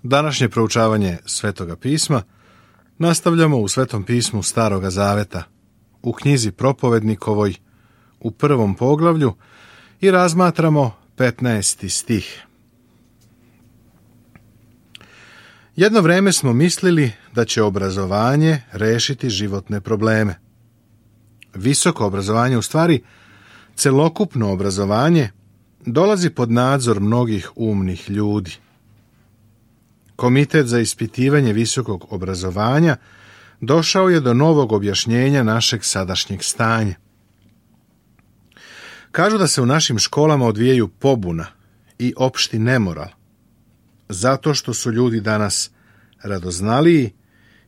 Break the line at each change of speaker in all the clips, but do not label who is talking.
Današnje proučavanje Svetoga pisma nastavljamo u Svetom pismu Staroga Zaveta, u knjizi Propovednikovoj, u 1. poglavlju i razmatramo 15. stih. Jedno vreme smo mislili da će obrazovanje rešiti životne probleme. Visoko obrazovanje, u stvari celokupno obrazovanje, dolazi pod nadzor mnogih umnih ljudi. Komitet za ispitivanje visokog obrazovanja došao je do novog objašnjenja našeg sadašnjeg stanja. Kažu da se u našim školama odvijaju pobuna i opšti nemoral, zato što su ljudi danas radoznaliji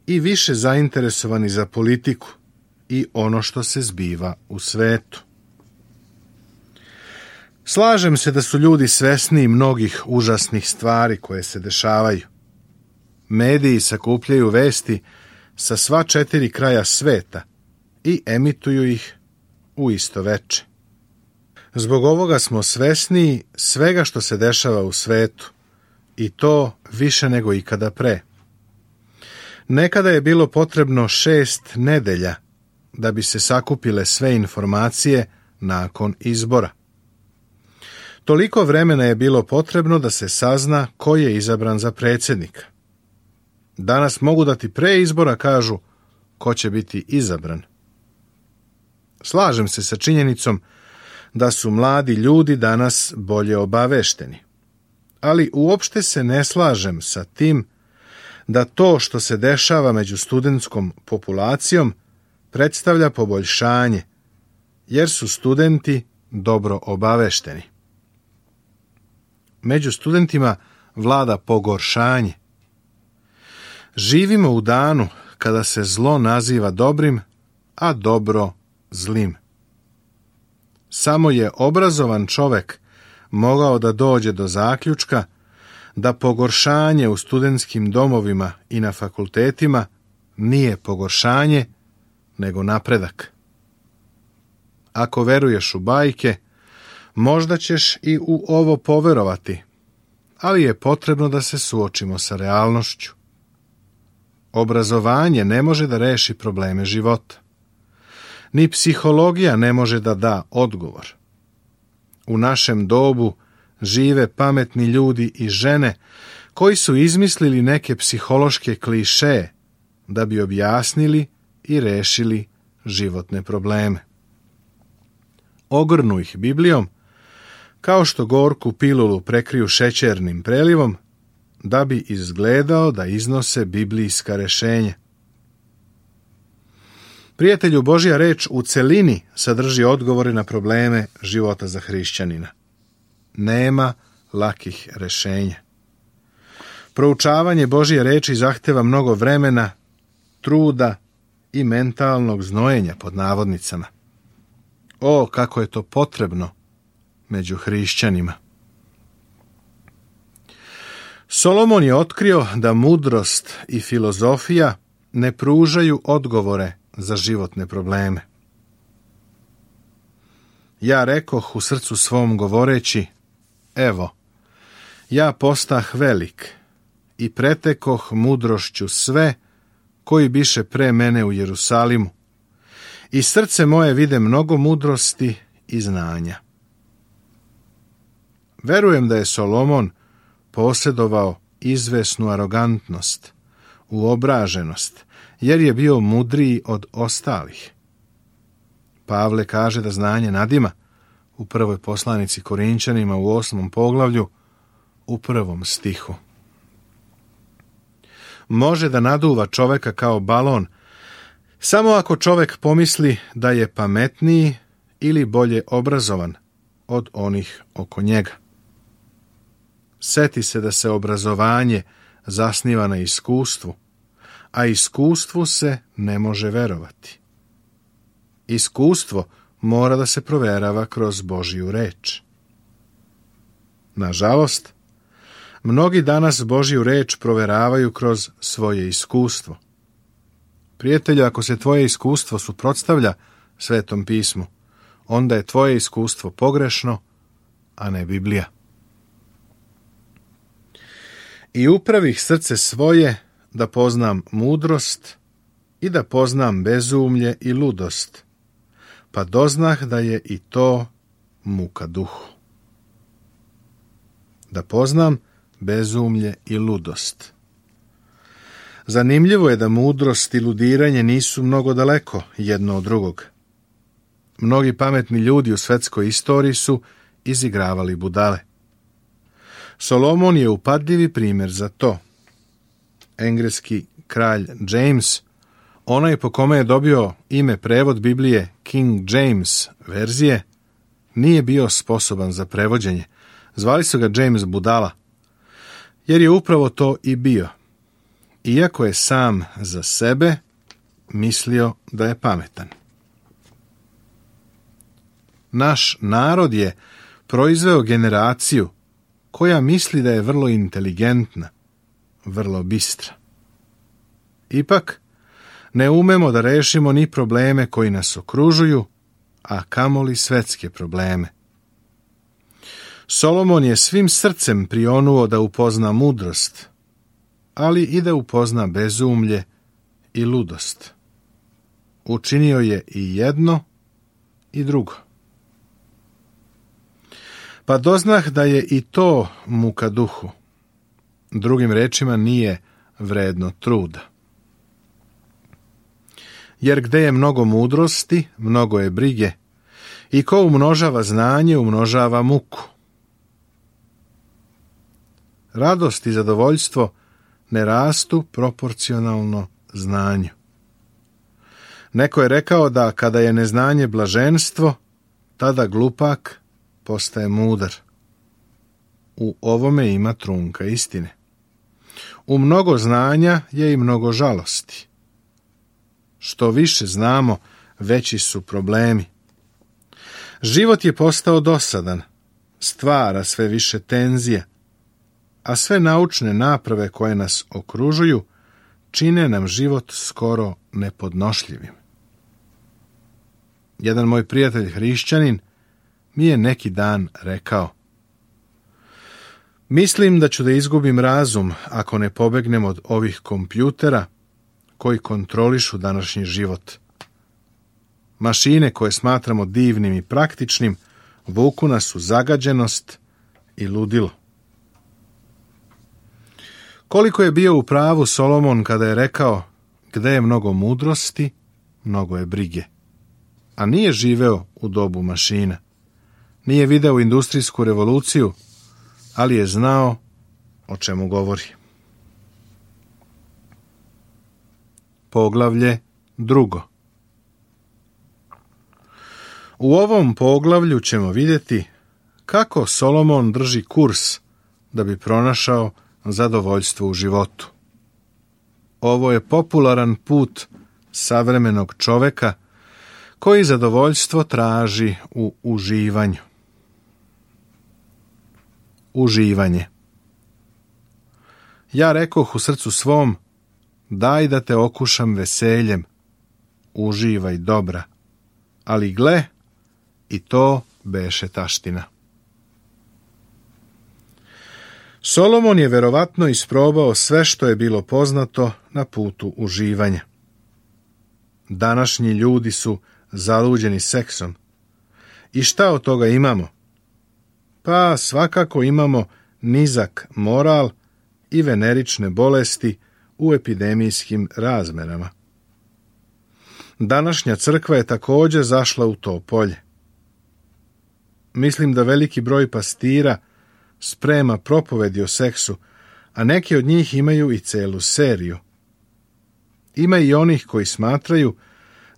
i više zainteresovani za politiku i ono što se zbiva u svetu. Slažem se da su ljudi svesni mnogih užasnih stvari koje se dešavaju. Mediji sakupljaju vesti sa sva 4 kraja sveta i emituju ih u isto veče. Zbog ovoga smo svesni svega što se dešava u svetu, i to više nego ikada pre. Nekada je bilo potrebno 6 nedelja da bi se sakupile sve informacije nakon izbora. Toliko vremena je bilo potrebno da se sazna ko je izabran za predsjednika. Danas mogu da ti pre izbora kažu ko će biti izabran. Slažem se sa činjenicom da su mladi ljudi danas bolje obavešteni. Ali uopšte se ne slažem sa tim da to što se dešava među studentskom populacijom predstavlja poboljšanje, jer su studenti dobro obavešteni. Među studentima vlada pogoršanje. Živimo u danu kada se zlo naziva dobrim, a dobro zlim. Samo je obrazovan čovek mogao da dođe do zaključka da pogoršanje u studentskim domovima i na fakultetima nije pogoršanje, nego napredak. Ako veruješ u bajke, možda ćeš i u ovo poverovati, ali je potrebno da se suočimo sa realnošću. Obrazovanje ne može da reši probleme života. Ni psihologija ne može da da odgovor. U našem dobu žive pametni ljudi i žene koji su izmislili neke psihološke klišeje da bi objasnili i rešili životne probleme. Ogrnu ih Biblijom, kao što gorku pilulu prekriju šećernim prelivom, da bi izgledao da iznose biblijska rešenja. Prijatelju, Božja reč u celini sadrži odgovore na probleme života za hrišćanina. Nema lakih rešenja. Proučavanje Božje reči zahteva mnogo vremena, truda i mentalnog znojenja pod navodnicama. O, kako je to potrebno među hrišćanima. Solomon je otkrio da mudrost i filozofija ne pružaju odgovore za životne probleme. Ja rekoh u srcu svom govoreći, evo, ja postah velik i pretekoh mudrošću sve koji biše pre mene u Jerusalimu, i srce moje vide mnogo mudrosti i znanja. Verujem da je Solomon posjedovao izvesnu arogantnost, uobraženost, jer je bio mudriji od ostalih. Pavle kaže da znanje nadima u 1. poslanici Korinčanima u 8. poglavlju u 1. stihu. Može da naduva čoveka kao balon samo ako čovek pomisli da je pametniji ili bolje obrazovan od onih oko njega. Seti se da se obrazovanje zasniva na iskustvu, a iskustvu se ne može verovati. Iskustvo mora da se proverava kroz Božju reč. Nažalost, mnogi danas Božju reč proveravaju kroz svoje iskustvo. Prijatelju, ako se tvoje iskustvo suprotstavlja Svetom pismu, onda je tvoje iskustvo pogrešno, a ne Biblija. I upravih srce svoje da poznam mudrost i da poznam bezumlje i ludost, pa doznah da je i to muka duhu. Da poznam bezumlje i ludost. Zanimljivo je da mudrost i ludiranje nisu mnogo daleko jedno od drugog. Mnogi pametni ljudi u svetskoj istoriji su izigravali budale. Solomon je upadljivi primjer za to. Engleski kralj James, onaj po kome je dobio ime prevod Biblije King James verzije, nije bio sposoban za prevođenje. Zvali su ga James Budala, jer je upravo to i bio. Iako je sam za sebe mislio da je pametan. Naš narod je proizveo generaciju koja misli da je vrlo inteligentna, vrlo bistra. Ipak, ne umemo da rešimo ni probleme koji nas okružuju, a kamoli svetske probleme. Solomon je svim srcem prionuo da upozna mudrost, ali i da upozna bezumlje i ludost. Učinio je i jedno i drugo. Pa doznah da je i to muka duhu. Drugim rečima, nije vredno truda. Jer gde je mnogo mudrosti, mnogo je brige, i ko umnožava znanje, umnožava muku. Radost i zadovoljstvo ne rastu proporcionalno znanju. Neko je rekao da kada je neznanje blaženstvo, tada glupak postaje mudar. U ovome ima trunka istine. U mnogo znanja je i mnogo žalosti. Što više znamo, veći su problemi. Život je postao dosadan, stvara sve više tenzija, a sve naučne naprave koje nas okružuju čine nam život skoro nepodnošljivim. Jedan moj prijatelj hrišćanin mi je neki dan rekao: mislim da ću da izgubim razum ako ne pobegnem od ovih kompjutera koji kontrolišu današnji život. Mašine koje smatramo divnim i praktičnim vuku nas u zagađenost i ludilo. Koliko je bio u pravu Solomon kada je rekao: gde je mnogo mudrosti, mnogo je brige. A nije živeo u dobu mašina. Nije video industrijsku revoluciju, ali je znao o čemu govori. Poglavlje 2. U ovom poglavlju ćemo vidjeti kako Solomon drži kurs da bi pronašao zadovoljstvo u životu. Ovo je popularan put savremenog čoveka koji zadovoljstvo traži u uživanju. Uživanje. Ja rekoh u srcu svom: daj da te okušam veseljem, uživaj dobra, ali gle, i to beše taština. Solomon je verovatno isprobao sve što je bilo poznato na putu uživanja. Današnji ljudi su zaluđeni seksom. I šta od toga imamo? Pa svakako imamo nizak moral i venerične bolesti u epidemijskim razmerama. Današnja crkva je također zašla u to polje. Mislim da veliki broj pastira sprema propovedi o seksu, a neki od njih imaju i celu seriju. Ima i onih koji smatraju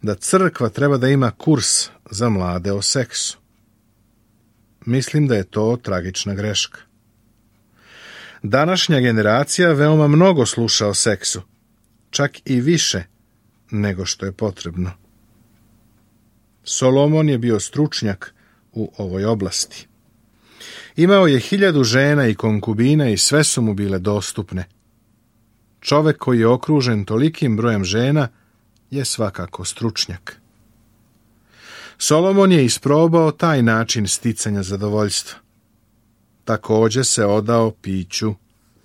da crkva treba da ima kurs za mlade o seksu. Mislim da je to tragična greška. Današnja generacija veoma mnogo sluša o seksu, čak i više nego što je potrebno. Solomon je bio stručnjak u ovoj oblasti. Imao je 1000 žena i konkubina i sve su mu bile dostupne. Čovek koji je okružen tolikim brojem žena je svakako stručnjak. Solomon je isprobao taj način sticanja zadovoljstva. Također se odao piću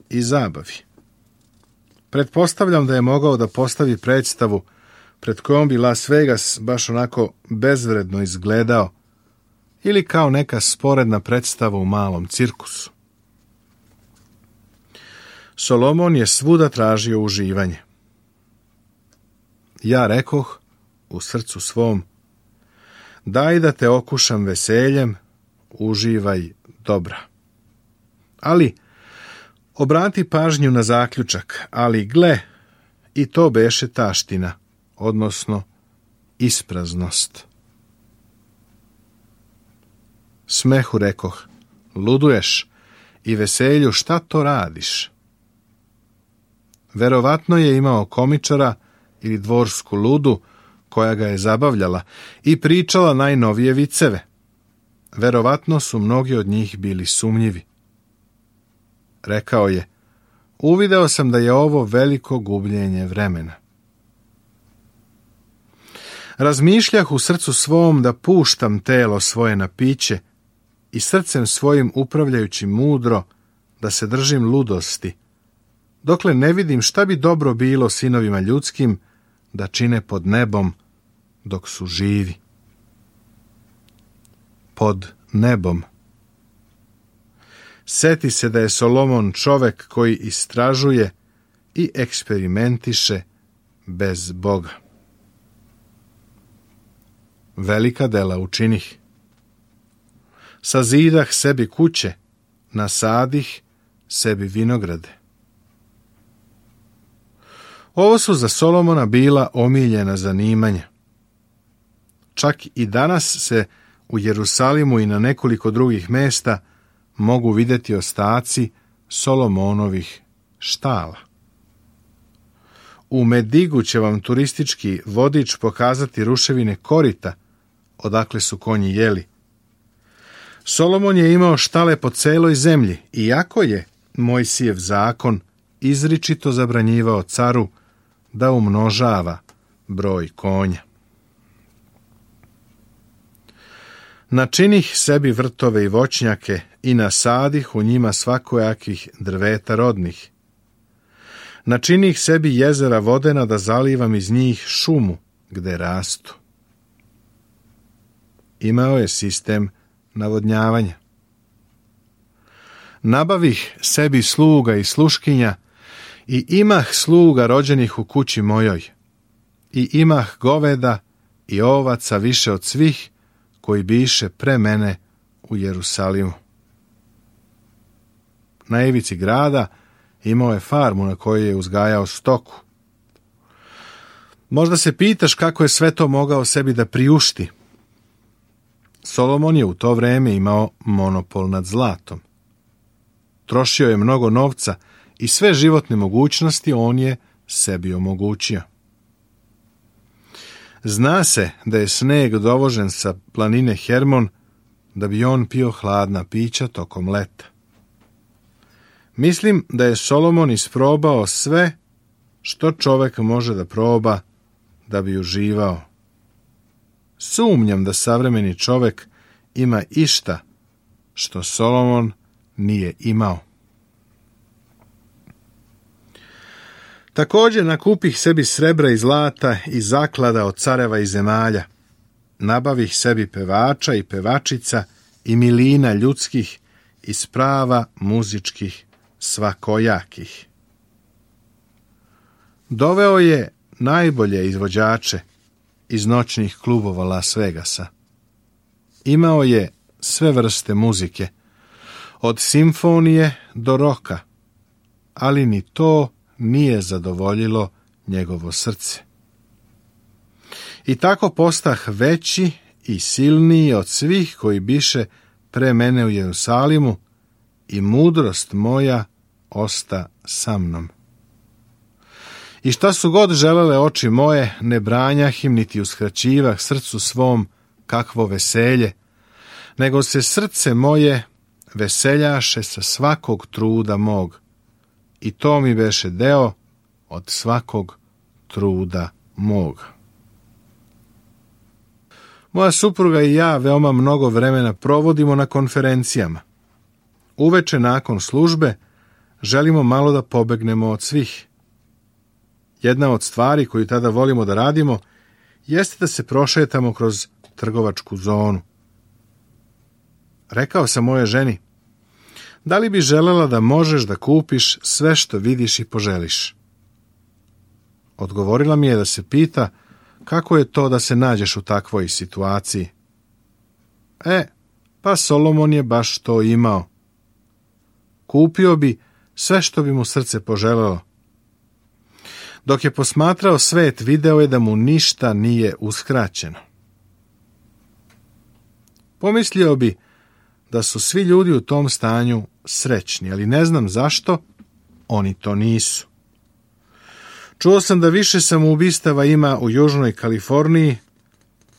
i zabavi. Pretpostavljam da je mogao da postavi predstavu pred kojom bi Las Vegas baš onako bezvredno izgledao ili kao neka sporedna predstava u malom cirkusu. Solomon je svuda tražio uživanje. Ja rekoh u srcu svom, daj da te okušam veseljem, uživaj dobra. Ali, obrati pažnju na zaključak, ali gle, i to beše taština, odnosno ispraznost. Smehu rekoh, luduješ, i veselju šta to radiš? Verovatno je imao komičara ili dvorsku ludu koja ga je zabavljala i pričala najnovije viceve. Verovatno su mnogi od njih bili sumnjivi. Rekao je, uvideo sam da je ovo veliko gubljenje vremena. Razmišljah u srcu svom da puštam telo svoje na piće i srcem svojim upravljajući mudro da se držim ludosti, dokle ne vidim šta bi dobro bilo sinovima ljudskim da čine pod nebom dok su živi. Pod nebom. Seti se da je Solomon čovek koji istražuje i eksperimentiše bez Boga. Velika dela učinih. Sazidah sebi kuće, nasadih sebi vinograde. Ovo su za Solomona bila omiljena zanimanja. Čak i danas se u Jerusalimu i na nekoliko drugih mesta mogu vidjeti ostaci Solomonovih štala. U Medigu će vam turistički vodič pokazati ruševine korita, odakle su konji jeli. Solomon je imao štale po celoj zemlji, iako je Mojsijev zakon izričito zabranjivao caru da umnožava broj konja. Načinih sebi vrtove i voćnjake i nasadih u njima svakojakih drveta rodnih. Načinih sebi jezera vodena da zalivam iz njih šumu gde rastu. Imao je sistem navodnjavanja. Nabavih sebi sluga i sluškinja i imah sluga rođenih u kući mojoj. I imah goveda i ovaca više od svih koji biše pre mene u Jerusalimu. Na ivici grada imao je farmu na kojoj je uzgajao stoku. Možda se pitaš kako je sve to mogao sebi da priušti. Solomon je u to vreme imao monopol nad zlatom. Trošio je mnogo novca i sve životne mogućnosti on je sebi omogućio. Zna se da je sneg dovožen sa planine Hermon da bi on pio hladna pića tokom leta. Mislim da je Solomon isprobao sve što čovek može da proba da bi uživao. Sumnjam da savremeni čovek ima išta što Solomon nije imao. Također nakupih sebi srebra i zlata i zaklada od careva i zemalja. Nabavih sebi pevača i pevačica i milina ljudskih i sprava muzičkih svakojakih. Doveo je najbolje izvođače iz noćnih klubova Las Vegasa. Imao je sve vrste muzike, od simfonije do roka, ali ni to nije zadovoljilo njegovo srce. I tako postah veći i silniji od svih koji biše pre mene u Jerusalimu i mudrost moja osta sa mnom. I šta su god želele oči moje, ne branjah im niti uskraćivah srcu svom kakvo veselje, nego se srce moje veseljaše sa svakog truda mog, i to mi beše deo od svakog truda mog. Moja supruga i ja veoma mnogo vremena provodimo na konferencijama. Uveče nakon službe želimo malo da pobegnemo od svih. Jedna od stvari koju tada volimo da radimo jeste da se prošetamo kroz trgovačku zonu. Rekao sam moje ženi, da li bi želela da možeš da kupiš sve što vidiš i poželiš? Odgovorila mi je da se pita kako je to da se nađeš u takvoj situaciji. Pa Solomon je baš to imao. Kupio bi sve što bi mu srce poželelo. Dok je posmatrao svet, video je da mu ništa nije uskraćeno. Pomislio bi da su svi ljudi u tom stanju srećni, ali ne znam zašto oni to nisu. Čuo sam da više samoubistava ima u Južnoj Kaliforniji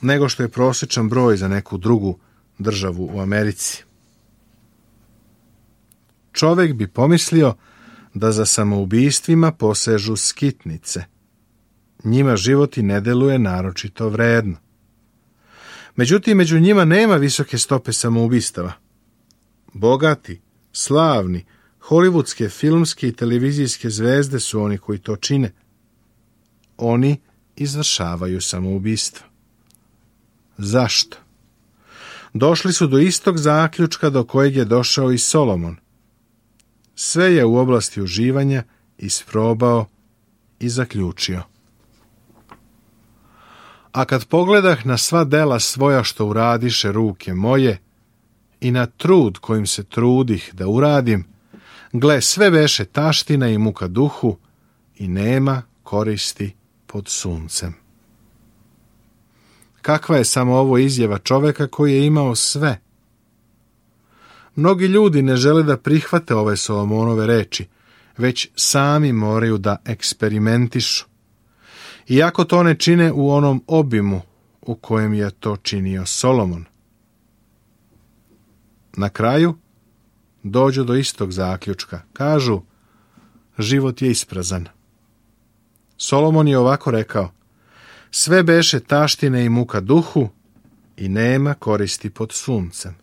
nego što je prosječan broj za neku drugu državu u Americi. Čovjek bi pomislio da za samoubistvima posežu skitnice. Njima život i ne deluje naročito vredno. Međutim, među njima nema visoke stope samoubistava. Bogati, slavni, hollywoodske, filmske i televizijske zvezde su oni koji to čine. Oni izvršavaju samoubistvo. Zašto? Došli su do istog zaključka do kojeg je došao i Solomon. Sve je u oblasti uživanja isprobao i zaključio. A kad pogledah na sva dela svoja što uradiše ruke moje i na trud kojim se trudih da uradim, gle, sve beše taština i muka duhu i nema koristi pod suncem. Kakva je samo ovo izjava čoveka koji je imao sve? Mnogi ljudi ne žele da prihvate ove Solomonove reči, već sami moraju da eksperimentišu. Iako to ne čine u onom obimu u kojem je to činio Solomon. Na kraju dođu do istog zaključka. Kažu, život je isprazan. Solomon je ovako rekao, sve beše taštine i muka duhu i nema koristi pod suncem.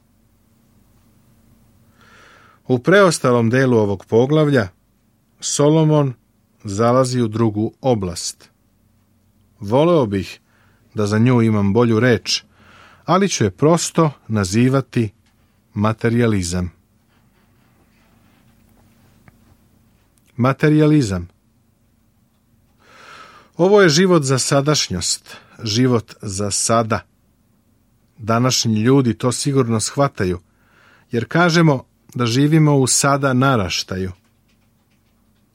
U preostalom delu ovog poglavlja Solomon zalazi u drugu oblast. Voleo bih da za nju imam bolju reč, ali ću je prosto nazivati materijalizam. Materijalizam. Ovo je život za sadašnjost, život za sada. Današnji ljudi to sigurno shvataju, jer kažemo da živimo u sada naraštaju.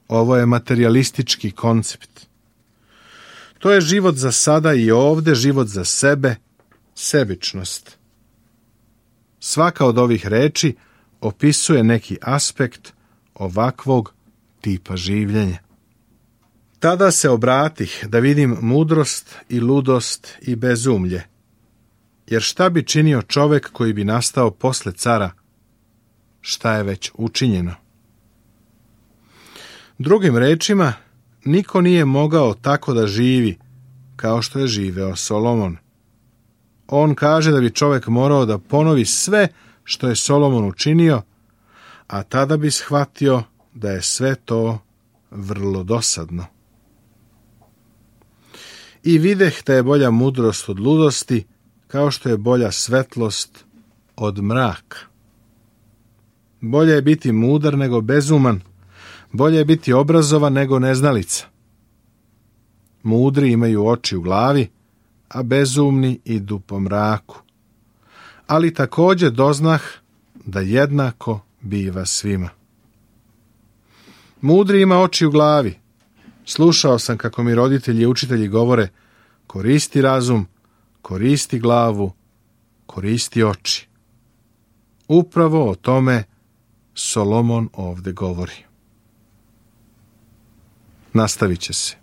Ovo je materijalistički koncept. To je život za sada i ovde, život za sebe, sebičnost. Svaka od ovih reči opisuje neki aspekt ovakvog tipa življenja. Tada se obratih da vidim mudrost i ludost i bezumlje. Jer šta bi činio čovek koji bi nastao posle cara? Šta je već učinjeno? Drugim rečima, niko nije mogao tako da živi kao što je živeo Solomon. On kaže da bi čovek morao da ponovi sve što je Solomon učinio, a tada bi shvatio da je sve to vrlo dosadno. I videh da je bolja mudrost od ludosti, kao što je bolja svetlost od mraka. Bolje je biti mudar nego bezuman, bolje je biti obrazovan nego neznalica. Mudri imaju oči u glavi, a bezumni idu po mraku. Ali također doznah da jednako biva svima. Mudri ima oči u glavi. Slušao sam kako mi roditelji i učitelji govore, koristi razum, koristi glavu, koristi oči. Upravo o tome Solomon ovdje govori. Nastavit će se.